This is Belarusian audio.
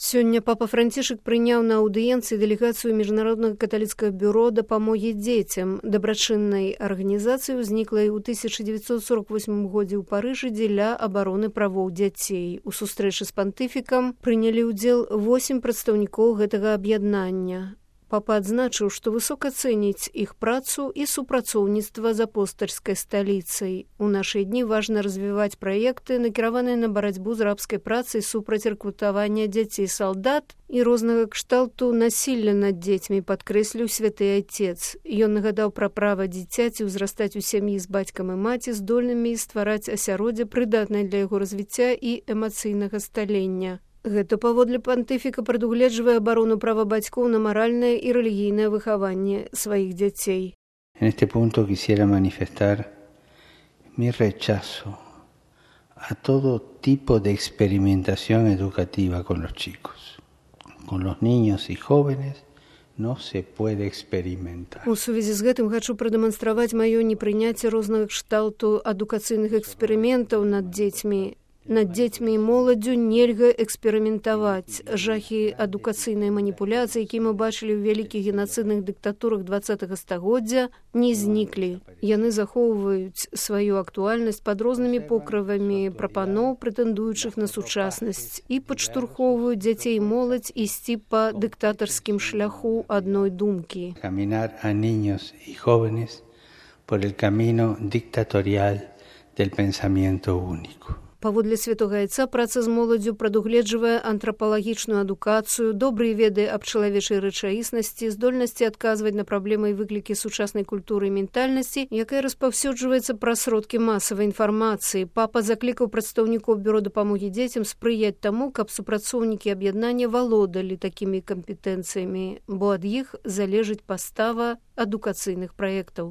Сёння папа Францішак прыняў на аўдыенцыі дэлегацыю міжнароднага каталіцкага бюро дапамогі дзецям. Дабрачыннай арганізацыі ўзніклай у 1948 годзе ў Парыжы дзеля абароны правоў дзяцей. У сустрэчы з пантыфікам прынялі ўдзел 8 прадстаўнікоў гэтага аб'яднання. Папа адзначыў, што высока цэніць іх працу і супрацоўніцтва з апостальскай сталіцай. У нашы дні важна развіваць праекты, накіраваныя на барацьбу з рабскай працай супраць рэкрутавання дзяцей-салдат і рознага кшталту насілля над дзецьмі, падкрэсліў святы айцец. Ён нагадаў пра права дзіцяці ўзрастаць у сям'і з бацькам і маці, здольнымі ствараць асяроддзе, прыдатнае для яго развіцця і эмацыйнага сталення. Гэта паводле пантыфіка прадугледжвае абарону права бацькоў на маральнае і рэлігійнае выхаванне сваіх дзяцей. En este punto quisiera manifestar mi rechazo a todo tipo de experimentación educativa con los chicos. Con los niños y jóvenes no se puede experimentar. У сувязі з гэтым хачу прадэманстраваць маё непрыняцце рознага кшталту адукацыйных эксперыментаў над дзецьмі. Над дзецьмі і моладдзю нельга эксперыментаваць. Жахі адукацыйнай маніпуляцыі, які мы бачылі ў вялікіх генацыдных дыктатурах 20-го стагоддзя, не зніклі. Яны захоўваюць сваю актуальнасць пад рознымі покрывамі прапаноў, прэтэндуючых на сучаснасць, і падштурхоўваюць дзяцей і моладзь ісці па дыктатарскім шляху адной думкі. Caminar a niños y jóvenes por el camino dictatorial del pensamiento único. Паводле святога айца, праца з моладдзю прадугледжвае антрапалагічную адукацыю, добрыя веды аб чалавечай рэчаіснасці, здольнасці адказваць на праблемы і выклікі сучаснай культуры і ментальнасці, якая распаўсюджваецца праз сродкі масавай інфармацыі. Папа заклікаў прадстаўнікоў бюро дапамогі дзецям спрыяць таму, каб супрацоўнікі аб'яднання валодалі такімі кампетэнцыямі, бо ад іх залежыць пастава адукацыйных праектаў.